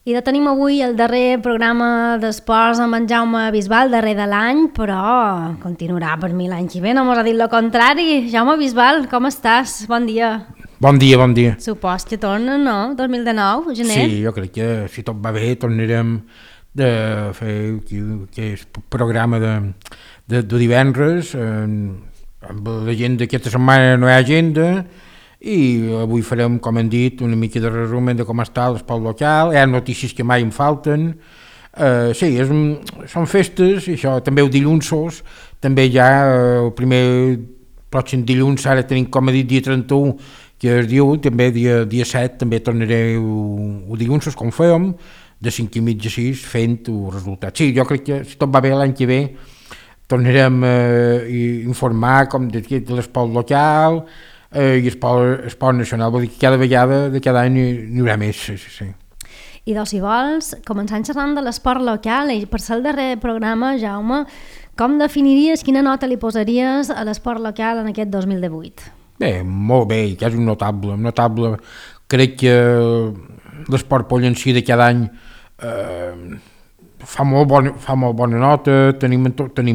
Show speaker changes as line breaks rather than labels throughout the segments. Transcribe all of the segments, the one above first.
I de tenim avui el darrer programa d'esports amb en Jaume Bisbal, darrer de l'any, però continuarà per mi l'any que ve, no mos ha dit el contrari. Jaume Bisbal, com estàs? Bon dia.
Bon dia, bon dia.
Supos que torna, no? 2019, gener?
Sí, jo crec que si tot va bé tornarem de fer aquest programa de divendres, amb l'agenda d'aquesta setmana no hi ha agenda, i avui farem, com hem dit, una mica de resum de com està l'esport local. Hi ha notícies que mai em falten. Sí, són festes, i això, també el dilluns, també ja el primer pròxim dilluns, ara tenim, com he dit, dia 31, que es diu, també dia 7, també tornaré el dilluns, com fèiem, de 5:30 a 6, fent el resultat. Sí, jo crec que si tot va bé l'any que ve, tornarem a informar com de l'esport local, i esport nacional, vol dir que cada vegada de cada any n'hi haurà més. Sí.
I doncs, si vols, començant xerrant de l'esport local, i per ser el darrer programa, Jaume, com definiries, quina nota li posaries a l'esport local en aquest 2018?
Bé, molt bé, que és un notable. Crec que l'esport pollencí de cada any fa molt bona nota, tenim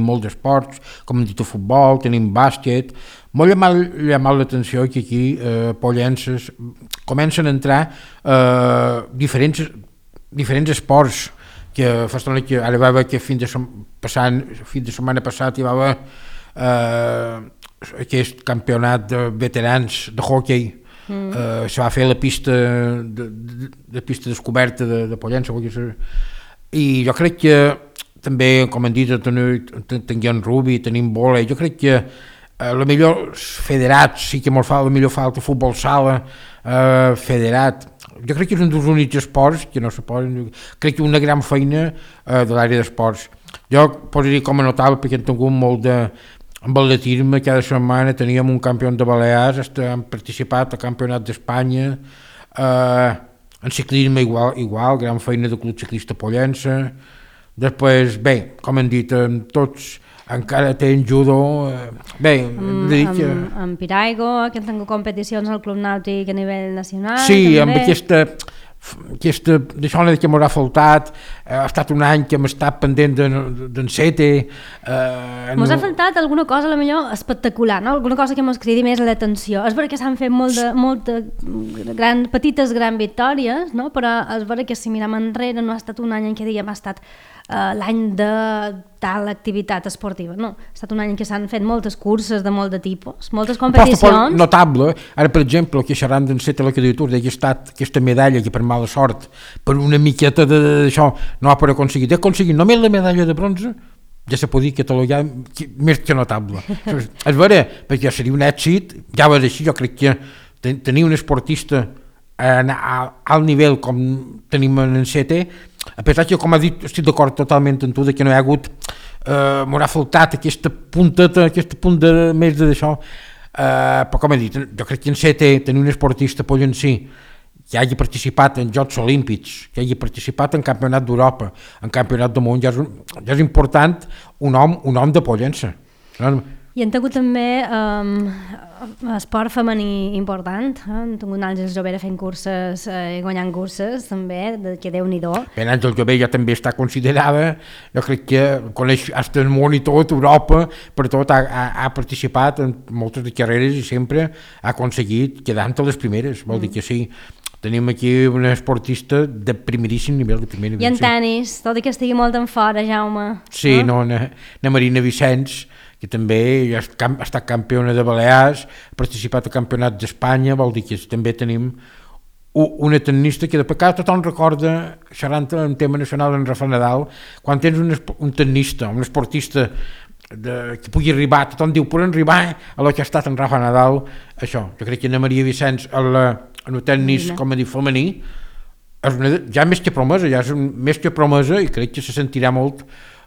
molts esports, com hem dit, el futbol, tenim bàsquet. Molt llamat l'atenció que aquí pollences comencen a entrar diferents esports, que fa estona que ara va haver que fins de setmana passat hi va haver aquest campionat de veterans de hoquei. Se va fer la pista descoberta de Pollença, i jo crec que també, com han dit, tenim rugby, tenim vòlei. Jo crec que la millor federats, sí que molt fa, la millor falta futbol sala, federat. Jo crec que és un dels únics esports que no se poden, crec que una gran feina de l'àrea d'esports. Jo posaria com a notable, perquè hem tingut molt amb atletisme, cada setmana teníem un campió de Balears, hem participat al campionat d'Espanya, en ciclisme igual, gran feina del Club Ciclista Pollença. Després, bé, com hem dit, tots encara tenen judo, bé,
amb Piraigo, que han tingut competicions al Club Nàutic a nivell nacional.
Sí, també. Amb aquesta d'això que m'haurà faltat, ha estat un any que hem estat pendent d'en Sete.
Mos ha faltat alguna cosa, a lo millor espectacular, no? Alguna cosa que mos cridi més l'atenció. És vera que s'han fet petites victòries, no? Però és vera que si mirem enrere no ha estat un any en què diguem ha estat l'any de tal activitat esportiva, no. Ha estat un any en què s'han fet moltes curses de molt de tipus, moltes competicions.
Notable, ara per exemple, que xerrant d'en Sete la candidatura, que ha estat aquesta medalla que per mala sort, per una miqueta d'això, no ha pogut aconseguir. Ha aconseguit només la medalla de bronze, ja se podia catalogar més que notable. És vera, perquè seria un èxit, ja va ser així, jo crec que tenir un esportista a alt nivell com tenim en Sete, a pesar que, com ha dit, estic d'acord totalment amb tu, que no hi ha hagut, m'haurà faltat aquesta punteta, aquest punt més d'això, però com he dit, jo crec que en Sete tenir un esportista pollencí que hagi participat en Jocs Olímpics, que hagi participat en Campionat d'Europa, en Campionat del Món, ja és important un home de Pollença.
I han tingut també esport femení important, han tingut Àngels Jovera fent curses i guanyant curses també, que Déu-n'hi-do.
Bé, Àngels Jovera ja també està considerada, jo crec que coneix fins el món i tot, Europa, per tot ha participat en moltes de carreres i sempre ha aconseguit quedar entre les primeres, vol dir que sí. Tenim aquí una esportista de primeríssim nivell, de primer nivell.
I en tenis, tot i que estigui molt en fora, Jaume.
Sí, na Marina Vicenç, que també ha estat campiona de Balears, ha participat al Campionat d'Espanya, vol dir que també tenim una tenista que després cada tothom recorda, xerrant en tema nacional en Rafa Nadal, quan tens un tenista, un esportista que pugui arribar, tothom diu, poden arribar a lo que ha estat en Rafa Nadal, això, jo crec que Ana Maria Vicenç en el tennis, com a dir, femení, ja més que promesa, i crec que se sentirà molt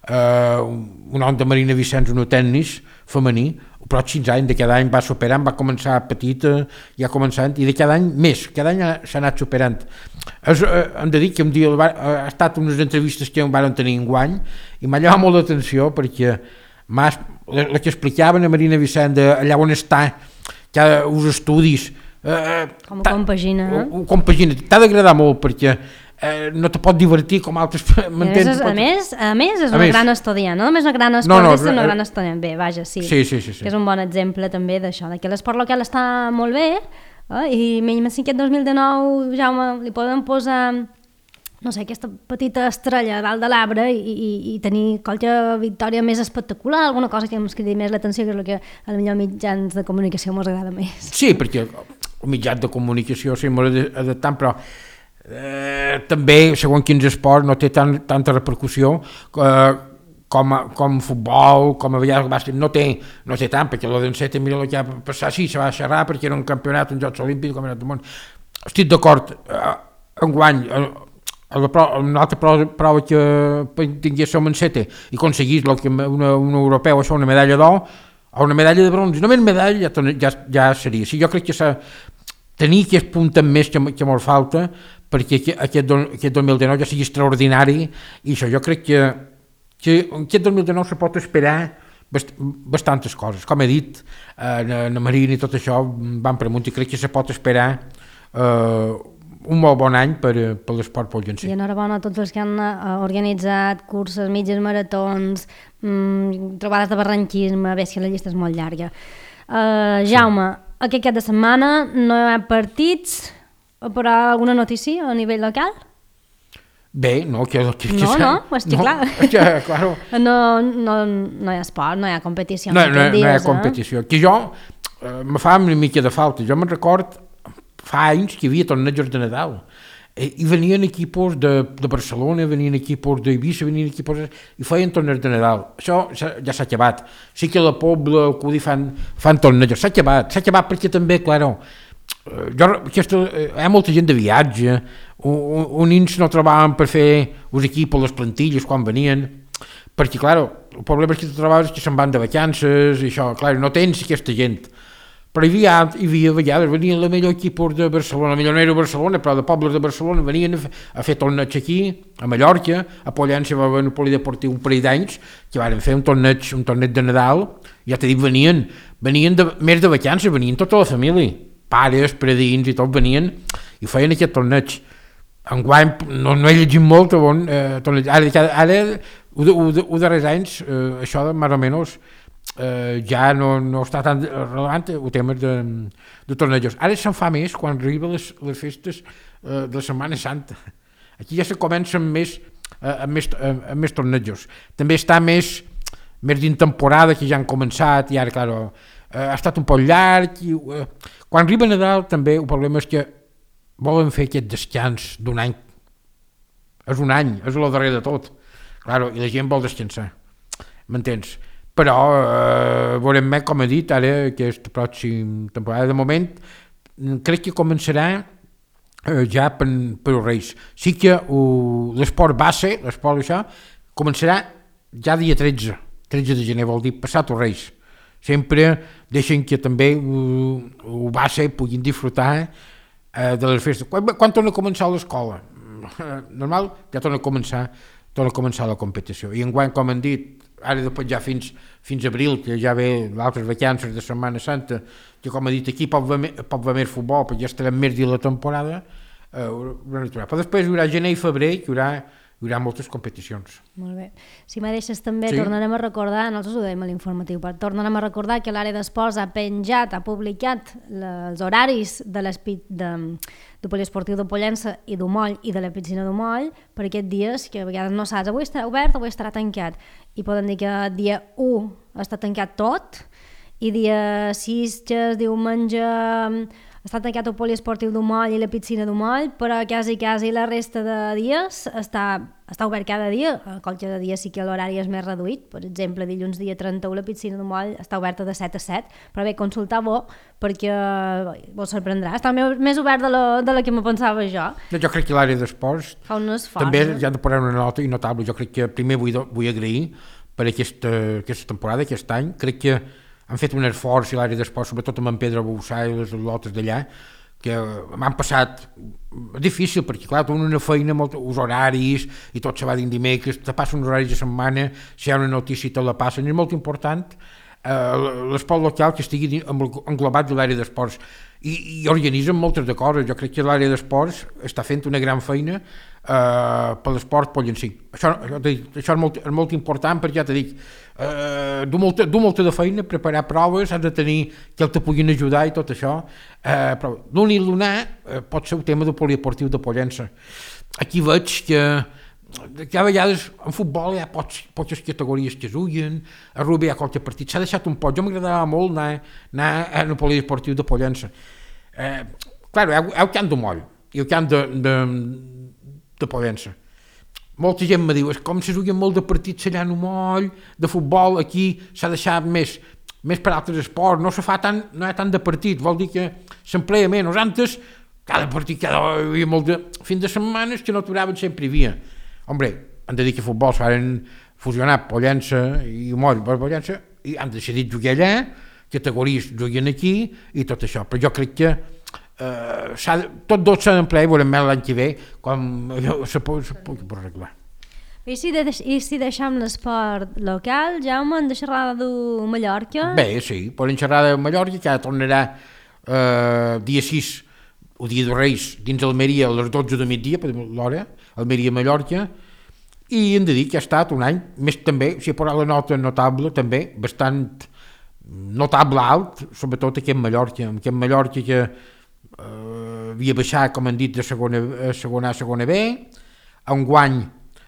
un home de Marina Vicenç en el tennis femení, els pròxims anys, de cada any va superant, va començar petita, ja començant, i de cada any més, cada any s'ha anat superant. Hem de dir que un dia ha estat unes entrevistes que em van tenir enguany, i m'ha llamat molt l'atenció, perquè la que explicaven a Marina Vicenç allà on està, que els estudis,
com compagina,
compagina, t'ha d'agradar molt, perquè no te pot divertir com altres...
A més, és una gran estudiant, no només una gran esportista, una gran estudiant. Bé, vaja, sí.
Sí.
Que és un bon exemple també d'això, que l'esport local està molt bé, i menys que aquest 2019, Jaume, li poden posar, no sé, aquesta petita estrella dalt de l'arbre i tenir qualque victòria més espectacular, alguna cosa que ens cridi més l'atenció, que és el que a la millor mitjans de comunicació ens agrada més.
Sí, perquè el mitjans de comunicació sí, molt adaptant, però també, segons quins esports, no té tanta repercussió com futbol, com a vegades bàsquet, no té tant, perquè la d'enceta, mira el que va passar, sí, se va xerrar perquè era un campionat, uns Jocs Olímpics, com era del món. Estic d'acord, enguany, una altra prova que tingués som enceta i aconseguís un europeu, això, una medalla d'or, o una medalla de bronze, només medalla ja seria. Sí, jo crec que tenir aquest punt més que molt falta perquè aquest 2019 ja sigui extraordinari i això jo crec que aquest 2019 se pot esperar bastantes coses. Com he dit, na Marina i tot això van preguntar i crec que se pot esperar un molt bon any per l'esport pollencer.
I enhorabona a tots els que han organitzat curses, mitges maratons, trobades de barranquisme, bé, que la llista és molt llarga. Jaume, aquest cap de setmana no hi ha partits, però alguna notícia a nivell local?
Bé, no,
clar.
Claro.
No hi ha esport, no hi ha competició.
No hi ha competició. Que jo me fa una mica de falta. Jo me'n record fa anys que hi havia tornejos de Nadal i venien equipos de Barcelona, venien equipos d'Eivissa, venien equipos i feien tornejos de Nadal. Això ja s'ha acabat. Sí que la Pobla, el Cudi fan tornejos. S'ha acabat perquè també, claro, hi ha molta gent de viatge, uns no trobaven per fer els equips, les plantilles quan venien, perquè, claro, el problema és que tu trobaves que se'n van de vacances i això, claro, no tens aquesta gent. Però hi havia vegades, venien el millor equip de Barcelona, millor no era Barcelona, però de pobles de Barcelona venien a fer torneig aquí, a Mallorca, a Pollença va haver un polideportiu un parell d'anys, que van fer un torneig de Nadal, ja t'he dit, venien més de vacances, venien tota la família, pares, predins i tot venien i feien aquest torneig. Enguany no he llegit molt, ara els darrers anys, això de més o menys, ja no està tan rellevant el tema de tornejos. Ara se'n fa més quan arriben les festes de la Setmana Santa. Aquí ja se comencen més tornejos. També està més dins temporada, que ja han començat, i ara, clar, ha estat un poc llarg. Quan arriba Nadal, també, el problema és que volen fer aquest descans d'un any. És un any, és el darrer de tot. Claro, i la gent vol descansar. M'entens? Però veurem més, com he dit, ara aquesta pròxima temporada. De moment, crec que començarà ja per els Reis. Sí que l'esport base, l'esport això, començarà ja dia 13 de gener, vol dir passat els Reis. Sempre deixen que també el base puguin disfrutar de les festes. Quan torna a començar l'escola? Normal, ja torna a començar la competició. I enguany, com han dit, ara després ja fins abril, que ja ve l'altres vacances de Setmana Santa, que com ha dit aquí pot haver més futbol, perquè ja estarem més dins la temporada, però després hi haurà gener i febrer, que hi haurà moltes competicions.
Molt bé. Si me deixes també, sí. Tornarem a recordar, nosaltres ho dèiem a l'informatiu, però tornarem a recordar que l'àrea d'esports ha publicat els horaris del poliesportiu de Pollença i d'Umoll i de la piscina d'Umoll per aquests dies que a vegades no saps, avui estarà obert, avui estarà tancat. I poden dir que dia 1 està tancat tot i dia 6, que es diumenge, està tancat el poliesportiu d'Umoll i la piscina d'Umoll, però quasi la resta de dies està obert cada dia. Qualque dia sí que l'horari és més reduït. Per exemple, dilluns dia 31 la piscina d'Umoll està oberta de 7 a 7, però bé, consultar-ho perquè vos sorprendrà. Està més obert de la que me pensava jo.
Jo crec que l'àrea d'esports també ja han de posar una nota notable. Jo crec que primer vull agrair per aquesta temporada, aquest any. Crec que han fet un esforç a l'àrea d'esports, sobretot amb en Pedro Boussà i les lotes d'allà, que m'han passat difícil, perquè clar, tenen una feina, els horaris, i tot se va dins dimecres, te passen uns horaris de setmana, si hi ha una notícia te la passen, és molt important l'esport local que estigui englobat de l'àrea d'esports. i organitzen moltes de coses. Jo crec que l'àrea d'esports està fent una gran feina per l'esport pollencí. Això és molt important perquè ja t'he dit, du molta de feina, preparar proves, has de tenir que te puguin ajudar i tot això, però l'únic lunar pot ser el tema del poliesportiu de Pollença. Aquí veig que a vegades en futbol hi ha poques categories que es juguen, a rugby hi ha qualque partit, s'ha deixat un poc. Jo m'agradava molt anar al poliesportiu de Pollença. Clar, hi ha el camp de Moll i el camp de Pollença. Molta gent me diu, és com se juguen molt de partits allà en Moll, de futbol, aquí s'ha deixat més per altres esports, no hi ha tant de partits, vol dir que s'emplea menys. Antes, cada partit, hi havia molt de... Fins de setmanes que no aturaven sempre hi havia. Hombre, han de dir que futbol s'han fusionat Pollença i Moll per Pollença i han decidit jugar allà, categories juguen aquí i tot això, però jo crec que tots dos s'han d'emplear i veurem l'any que ve com se pugui arreglar.
I si deixem l'esport local, Jaume, hem de xerrar de Mallorca?
Bé, sí, podem xerrar de Mallorca, que ara tornarà dia 6 o dia de Reis dins Almeria a les 12 de migdia, per l'hora, Almeria-Mallorca, i hem de dir que ha estat un any, més també, si he posat la nota notable, també, bastant notable alt, sobretot aquí en Mallorca, que havia baixat, com han dit, de segona A a segona B, enguany,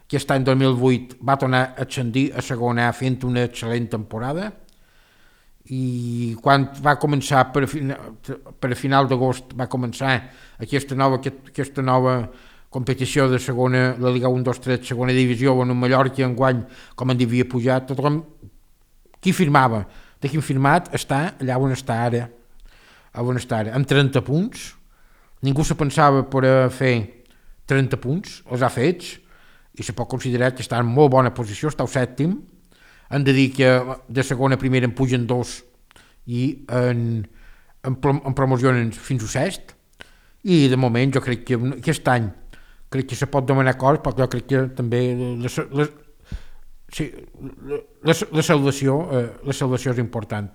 aquest any 2008, va tornar a ascendir a segona A fent una excel·lent temporada, i quan va començar per a final d'agost va començar aquesta nova competició de segona, la Liga 1-2-3, segona divisió, on en Mallorca enguany, com en havia pujat, tothom qui firmava, de qui firmat està allà on està ara, amb 30 punts. Ningú se pensava per fer 30 punts, els ha fets, i se pot considerar que està en molt bona posició, està al sèptim. Han de dir que de segona a primera en pugen 2 i en promocionen fins al sest, i de moment jo crec que aquest any se pot demanar coses, perquè jo crec que també la salvació és important.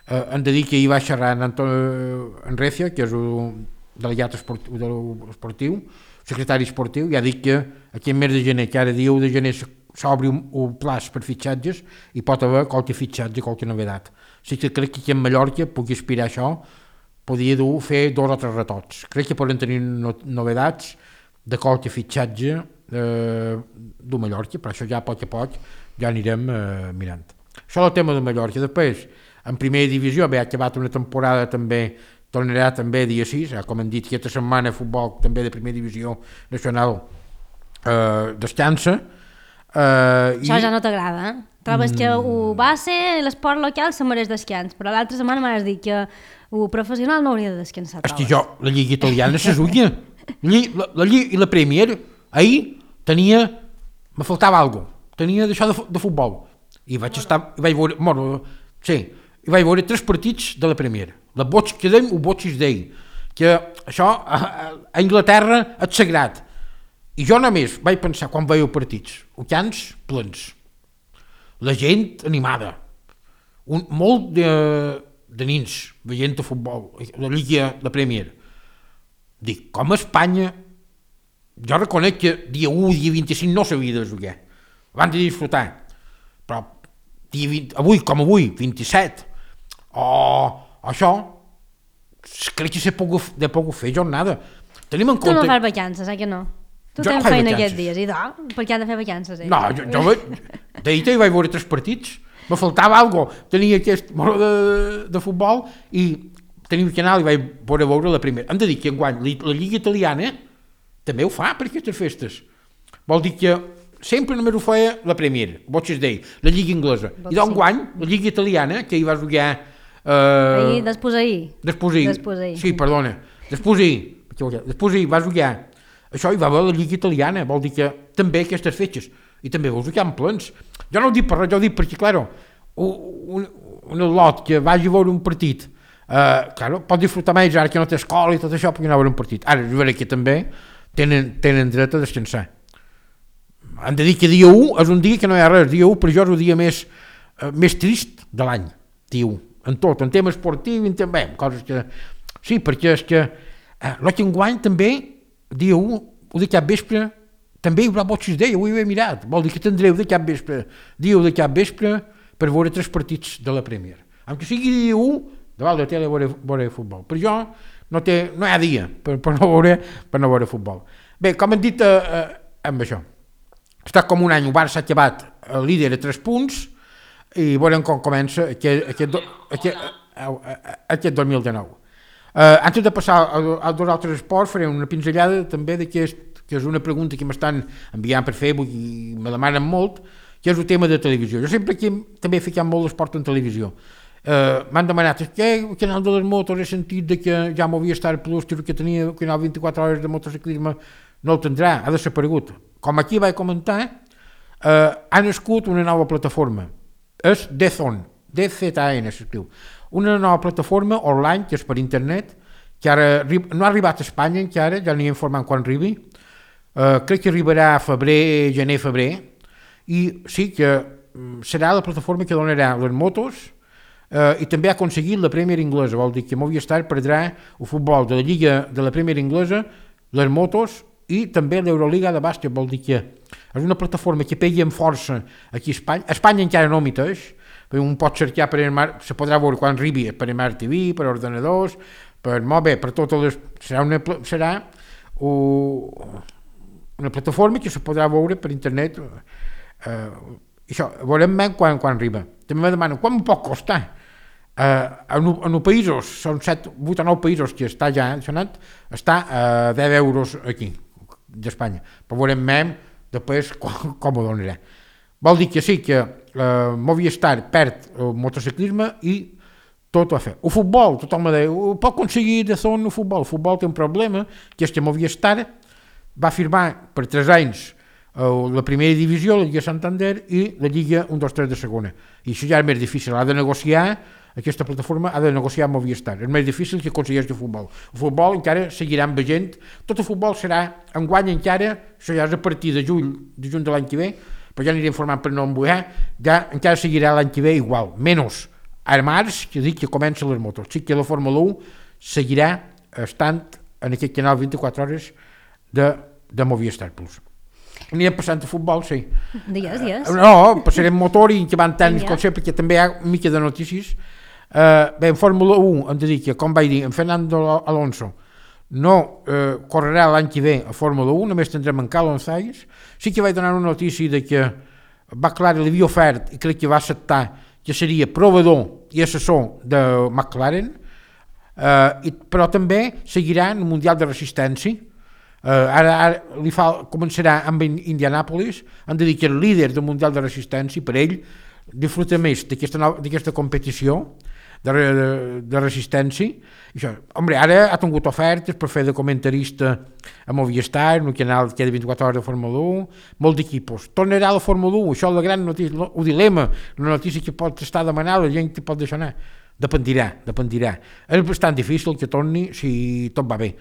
Han de dir que hi va xerrar en Recia, que és el delegat esportiu, secretari esportiu, i ha dit que aquí en mes de gener, que ara dia 1 de gener s'obri un plaç per fitxatges i pot haver qualque fitxatge, qualque novedat. Sí que crec que aquí en Mallorca pugui aspirar a això, podria fer 2 o 3 retots. Crec que poden tenir novedats de qualque fitxatge de Mallorca, però això ja a poc ja anirem mirant. Això és el tema de Mallorca. Després, en primera divisió, ha acabat una temporada també, tornarà també dia 6, com hem dit, aquesta setmana futbol també de primera divisió nacional descansa.
Això ja no t'agrada, eh? Trobes que ho va ser l'esport local se mereix descans, però l'altra setmana m'has dit que el professional no hauria de descansar.
És que jo, la Lliga Italiana se suïa. La Lliga i la Premier, ahir me faltava alguna cosa, tenia d'això de futbol, i vaig veure 3 partits de la Premier, la Boig que deim o Boig d'ell, que això a Anglaterra és sagrat, i jo només vaig pensar quan veia partits, camps plens, la gent animada, molt de nins veient el futbol, la Lliga, la Premier. Dic, com a Espanya, jo reconec que dia 1, dia 25 no s'havia de jugar, abans de disfrutar, però avui, 27, això, crec que s'ha pogut fer jornada. Tenim en compte...
Tu no fas vacances, que no? Tu tens feina aquests dies, i per què has de fer vacances?
No, jo d'ahir vaig veure 3 partits, me faltava alguna cosa, tenia aquest de futbol i tenia que anar i vaig veure la primera. Hem de dir que enguany la Lliga Italiana també ho fa per aquestes festes. Vol dir que sempre només ho feia la Premier, la Lliga Inglesa. I d'enguany, la Lliga Italiana, que hi va jugar...
Després ahir.
Sí, perdona. Després ahir va jugar. Això hi va haver la Lliga Italiana, vol dir que també aquestes fetges, i també vos jugar en plens. Jo no ho dic per res, jo ho dic perquè, claro, un lot que vagi a veure un partit, pot disfrutar més ara que no té escola i tot això, perquè anar a veure un partit. Ara, jo veuré que també tenen dret a descansar. Han de dir que dia 1 és un dia que no hi ha res, dia 1 per jo és el dia més trist de l'any, dia 1, en tot, en tema esportiu, coses que Sí, perquè és que l'any enguany també, dia 1, o de cap vespre, també hi haurà Watches Day, ho he mirat, vol dir que tindreu de cap vespre, dia 1 de cap vespre, per veure 3 partits de la Premier. Aunque sigui dia 1, davant de la tele veure futbol. Per jo no hi ha dia per no veure futbol. Bé, com hem dit amb això, està com un any, el Barça ha acabat el líder a 3 punts i veurem com comença aquest 2019. Antes de passar als dos altres esports, faré una pinzellada també d'aquest, que és una pregunta que m'estan enviant per Facebook i me demanen molt, que és el tema de televisió. Jo sempre aquí també he ficat molt l'esport en televisió. M'han demanat que el canal de les motos he sentit de que ja Movistar Plus, que tenia el canal 24 hores de motociclisme, no el tindrà, ha desaparegut. Com aquí vaig comentar, ha nascut una nova plataforma, és DAZN, DZN s'escriu, una nova plataforma online, que és per internet, que ara no ha arribat a Espanya encara, ja n'hi informant quan arribi, crec que arribarà a febrer, gener-febrer, i sí que serà la plataforma que donarà les motos i també ha aconseguit la Premier Inglesa, vol dir que Movistar perdrà el futbol de la Lliga de la Premier Inglesa, les motos i també l'Euroliga de bàsquet, vol dir que és una plataforma que pegui amb força aquí a Espanya. A Espanya encara no miteix, perquè un pot cercar per se podrà veure quan arribi per Smart TV, per ordenadors, per mòbil, per totes les... Serà una plataforma que se podrà veure per internet. Això, veurem quan arriba. També me demanen quan pot costar. En els països, són 7, 8 o 9 països que està ja adicionat, està a 10 euros aquí, d'Espanya. Però veurem després com ho donarà. Vol dir que sí, que Movistar perd el motociclisme i tot ho ha fet. El futbol, tothom me diu, pot aconseguir de zona el futbol. El futbol té un problema, que és que Movistar va firmar per 3 anys la primera divisió, la Lliga Santander i la Lliga 1, 2, 3 de segona. I això ja és més difícil, ha de negociar, aquesta plataforma ha de negociar amb Movistar. És més difícil que aconsegueix el futbol. El futbol encara seguirà veient, tot el futbol serà enguany encara, això ja és a partir de juny de l'any que ve, però ja aniré informant per no embuar, ja encara seguirà l'any que ve igual, menys a març, que dic que comencen les motos. Sí que la Fórmula 1 seguirà estant en aquest canal 24 hores de Movistar Plus. Anirem passant a futbol, sí.
Digues.
No, passarem motor i que van tant com sempre, perquè també hi ha una mica de notícies. Bé, en Fórmula 1 hem de dir que, com vaig dir, en Fernando Alonso no correrà l'any que ve a Fórmula 1, només tindrem en Carlos Sainz. Sí que vaig donar una notícia de que McLaren li havia ofert, i crec que va acceptar, que seria provador i assessor de McLaren, però també seguirà en el Mundial de Resistència. Ara començarà amb Indianapolis, han de dir que el líder del Mundial de Resistència, per ell, disfruta més d'aquesta competició de resistència. Això, ara ha tingut ofertes per fer de comentarista a Movistar, en un canal que ha de 24 hores de Fórmula 1, molt d'equipos. Tornarà a la Fórmula 1, això és la gran notícia, el dilema, la notícia que pot estar demanant, la gent que pot deixar anar. Dependirà. És bastant difícil que torni si tot va bé.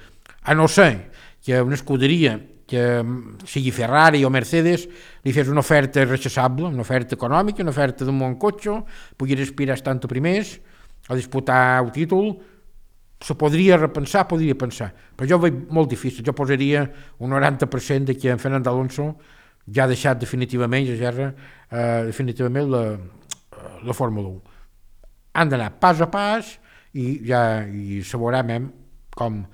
A no ser que una escuderia, que sigui Ferrari o Mercedes, li fes una oferta rechaçable, una oferta econòmica, una oferta d'un bon cotxe, pugui aspirar estant a primers, a disputar el títol, se podria pensar, però jo ho veig molt difícil. Jo posaria un 90% de que en Fernando Alonso ja ha deixat definitivament la Fórmula 1. Han d'anar pas a pas i se veurà com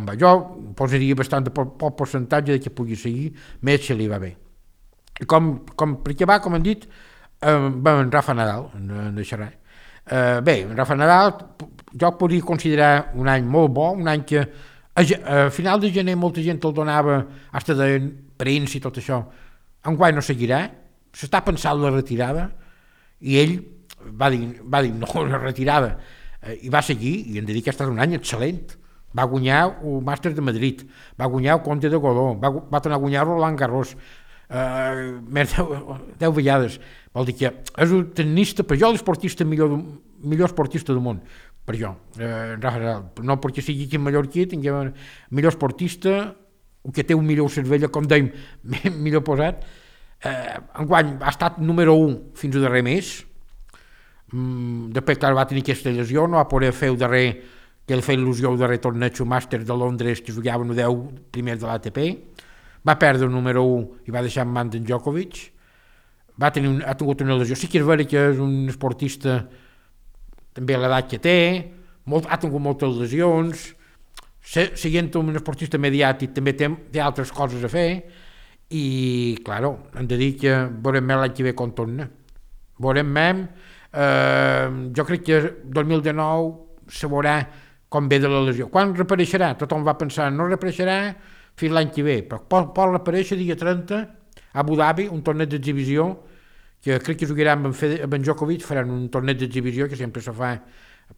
va. Jo posaria bastant de poc percentatge de que pugui seguir, més si li va bé. I perquè va, com hem dit, en Rafa Nadal, en deixarà. Bé, en Rafa Nadal jo podria considerar un any molt bo, un any que a final de gener molta gent el donava hasta de premsa i tot això. Enguany no seguirà, s'està pensant la retirada i ell va dir no, la retirada, i va seguir, i hem de dir que ha estat un any excel·lent. Va guanyar el Màster de Madrid, va guanyar el Conte de Godó, va tornar a guanyar Roland Garros, més 10 vegades. Vol dir que és un tenista, per jo l'esportista millor esportista del món, per jo. No perquè sigui aquí mallorquí, tingui millor esportista, que té un millor cervell, com dèiem, millor posat. Enguany ha estat número 1 fins al darrer mes. Després, clar, va tenir aquesta lesió, no va poder fer el darrer que li feia il·lusió de retornar al màster de Londres, que jugaven el 10 primer de l'ATP, va perdre el número 1 i va deixar en mans d'en Djokovic, ha tingut una lesió. Sí que és vera que és un esportista també a l'edat que té, ha tingut moltes lesions, sent un esportista mediàtic també té altres coses a fer i, claro, hem de dir que veurem més l'any que ve com torna. Veurem més, jo crec que 2019 se veurà com ve de la lesió. Quan reapareixerà? Tothom va pensar, no reapareixerà fins l'any que ve, però pot reaparèixer dia 30 a Abu Dhabi, un torneig d'exhibició, que crec que jugarà amb en Djokovic, faran un torneig d'exhibició que sempre se fa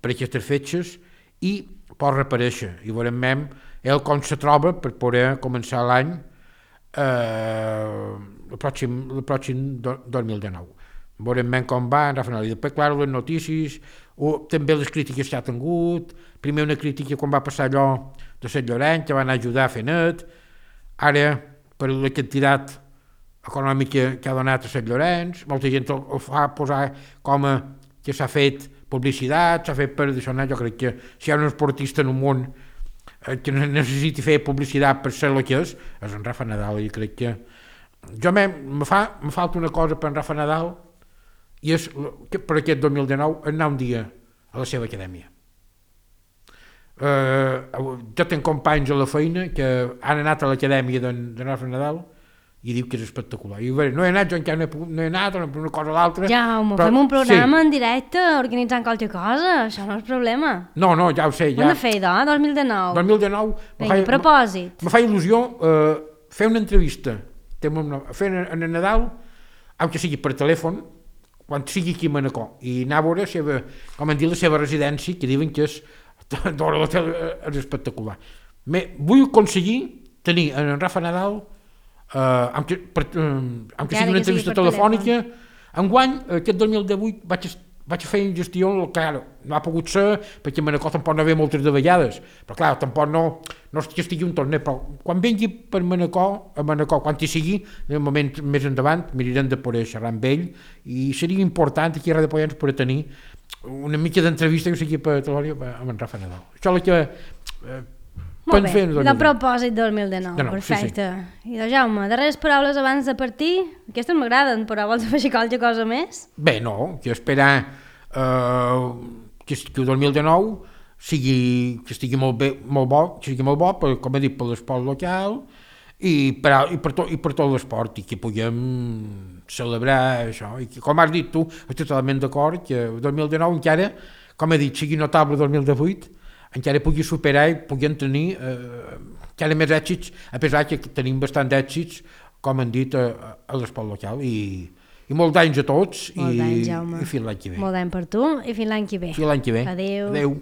per aquestes fetges, i pot reaparèixer, i veurem més ell com se troba per poder començar l'any el pròxim 2019. Veurem més com va en Rafa Nadal. I després, clar, les notícies, també les crítiques que ha tingut, primer una crítica quan va passar allò de Sant Llorenç, que van ajudar a fer net, ara, per la quantitat econòmica que ha donat a Sant Llorenç, molta gent ho fa posar com que s'ha fet publicitat, s'ha fet per això. Jo crec que si hi ha un esportista en un món que necessiti fer publicitat per ser el que és en Rafa Nadal. I crec que me falta una cosa per en Rafa Nadal, i és que per aquest 2019 anar un dia a la seva acadèmia. Jo tinc companys a la feina que han anat a l'acadèmia d'en Rafa Nadal i diu que és espectacular. I no he anat, jo encara no he anat, una cosa o l'altra.
Jaume, fem un programa en directe organitzant qualque cosa, això no és problema.
No, ja ho sé.
Ho hem de fer, 2019.
2019
propòsit.
Me fa il·lusió fer una entrevista, fer en Nadal, aunque sigui per telèfon, quan sigui aquí a Manacor, i anar a veure la seva residència, que diuen que és d'hora de l'hotel, és espectacular. Vull aconseguir tenir en Rafa Nadal, aunque sigui una entrevista telefònica, enguany, aquest 2018, vaig fer gestió, claro, no ha pogut ser, perquè a Manacor tampoc no ve moltes de vegades, però clar, tampoc no és que estigui un torneig, però quan vingui per Manacor, quan hi sigui, en el moment més endavant, mirarem de poder xerrar amb ell, i seria important aquí a Ràdio Pollens poder tenir una mica d'entrevista que sigui per televisió amb en Rafa Nadal. Això és el que
molt bé, de propòsit 2019, perfecte.
Sí.
I doncs Jaume, darreres paraules abans de partir, aquestes m'agraden, però vols afegir qualque cosa més?
Bé, no, que esperar que el 2019 que estigui molt bo, com he dit, per l'esport local i per tot l'esport, i que puguem celebrar això. I que, com has dit tu, estic totalment d'acord que el 2019 encara, com he dit, sigui notable el 2018, encara pugui superar i puguem tenir encara més èxits, a pesar que tenim bastant èxits, com han dit, a l'esport local. I molts anys a tots, i fins l'any que ve.
Molt d'any per tu, i fins l'any que ve.
Fins l'any que ve.
Adéu.
Adéu.